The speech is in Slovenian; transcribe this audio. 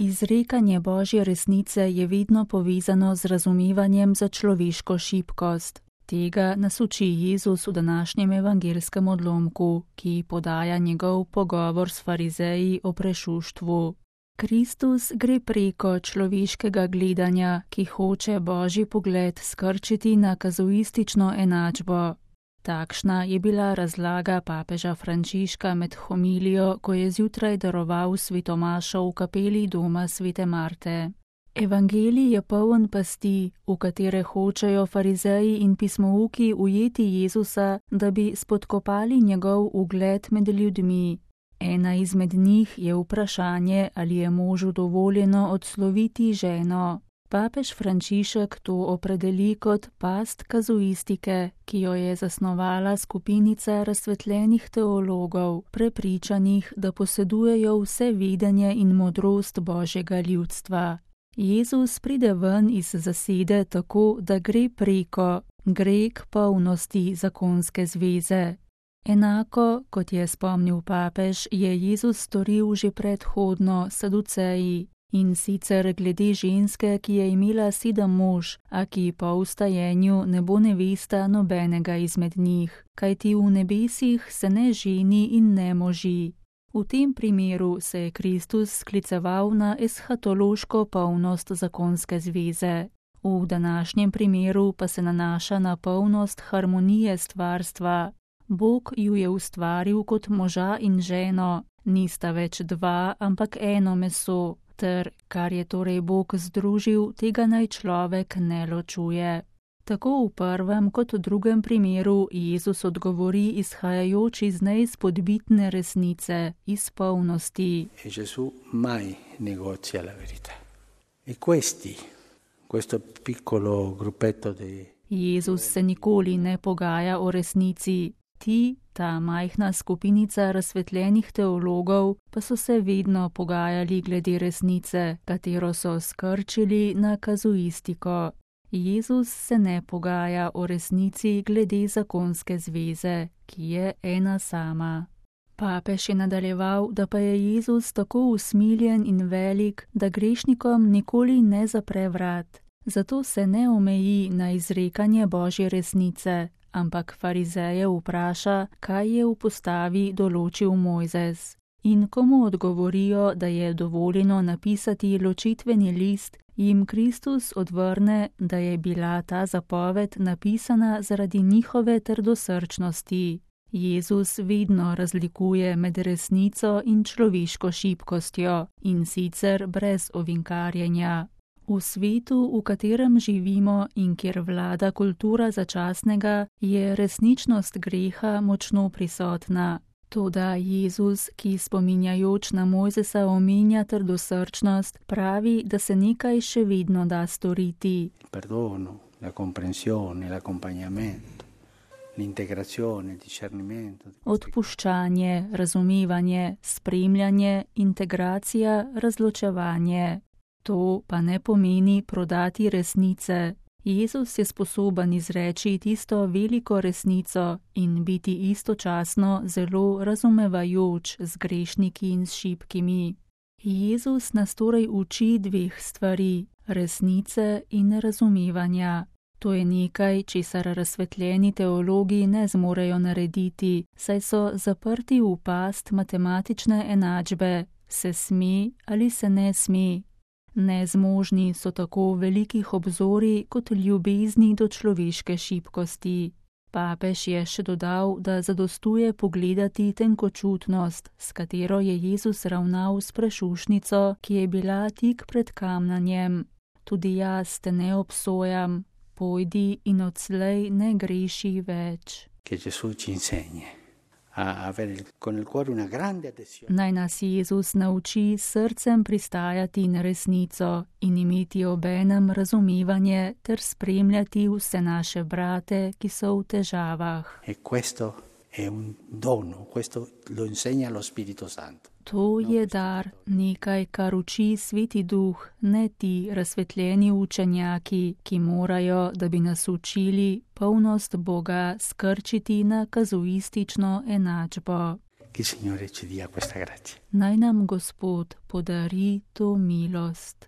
Izrekanje Božje resnice je vedno povezano z razumevanjem za človeško šibkost. Tega nas uči Jezus v današnjem evangelskem odlomku, ki podaja njegov pogovor s farizeji o prešuštvu. Kristus gre preko človeškega gledanja, ki hoče Božji pogled skrčiti na kazuistično enačbo. Takšna je bila razlaga papeža Frančiška med homilijo, ko je zjutraj daroval svetomašo v kapeli doma svete Marte. Evangelij je poln pasti, v katere hočejo farizeji in pismouki ujeti Jezusa, da bi spodkopali njegov ugled med ljudmi. Ena izmed njih je vprašanje, ali je možu dovoljeno odsloviti ženo. Papež Frančišek to opredeli kot past kazuistike, ki jo je zasnovala skupinica razsvetljenih teologov, prepričanih, da posedujejo vse vedenje in modrost Božjega ljudstva. Jezus pride ven iz zasede tako, da gre k polnosti zakonske zveze. Enako, kot je spomnil papež, je Jezus storil že predhodno Saduceji, in sicer glede ženske, ki je imela 7 mož, a ki po vstajenju ne bo nevesta nobenega izmed njih, kajti v nebesih se ne ženi in ne moži. V tem primeru se je Kristus skliceval na eshatološko polnost zakonske zveze. V današnjem primeru pa se nanaša na polnost harmonije stvarstva. Bog ju je ustvaril kot moža in ženo, nista več 2, ampak eno meso, ter, kar je torej Bog združil, tega naj človek ne ločuje. Tako v prvem kot v drugem primeru Jezus odgovori izhajajoč iz neizpodbitne resnice, iz polnosti. Gesù mai negozia la verità. E questo piccolo gruppetto Jezus se nikoli ne pogaja o resnici. Ta majhna skupinica razsvetljenih teologov, pa so se vedno pogajali glede resnice, katero so skrčili na kazuistiko. Jezus se ne pogaja o resnici glede zakonske zveze, ki je ena sama. Papež je nadaljeval, da pa je Jezus tako usmiljen in velik, da grešnikom nikoli ne zapre vrat. Zato se ne omeji na izrekanje Božje resnice, ampak farizeje vpraša, kaj je v postavi določil Mojzes. In ko mu odgovorijo, da je dovoljeno napisati ločitveni list, jim Kristus odvrne, da je bila ta zapoved napisana zaradi njihove trdosrčnosti. Jezus vedno razlikuje med resnico in človeško šibkostjo, in sicer brez ovinkarjenja. V svetu, v katerem živimo in kjer vlada kultura začasnega, je resničnost greha močno prisotna. Toda Jezus, ki spominjajoč na Mojzesa omenja trdosrčnost, pravi, da se nekaj še vedno da storiti. Perdono, la comprensione, l'accompagnamento, l'integrazione, discernimento. Odpuščanje, razumevanje, spremljanje, integracija, razločevanje. To pa ne pomeni prodati resnice. Jezus je sposoben izreči tisto veliko resnico in biti istočasno zelo razumevajoč z grešniki in s šibkimi. Jezus nas torej uči 2 stvari, resnice in razumevanja. To je nekaj, česar razsvetljeni teologi ne zmorejo narediti, saj so zaprti v past matematične enačbe, se sme ali se ne sme. Nezmožni so tako velikih obzorij kot ljubezni do človeške šibkosti. Papež je še dodal, da zadostuje pogledati tenkočutnost, s katero je Jezus ravnal s prešušnico, ki je bila tik pred kamnanjem. Tudi jaz te ne obsojam, pojdi in odslej ne greši več. Naj nas Jezus nauči srcem pristajati na resnico in imeti obenem razumevanje ter spremljati vse naše brate, ki so v težavah. To je dar, nekaj, kar uči Sveti Duh, ne ti razsvetljeni učenjaki, ki morajo, da bi nas učili, polnost Boga skrčiti na kazuistično enačbo. che il Signore ci dia questa grazia. Naj nam Gospod podari to milost.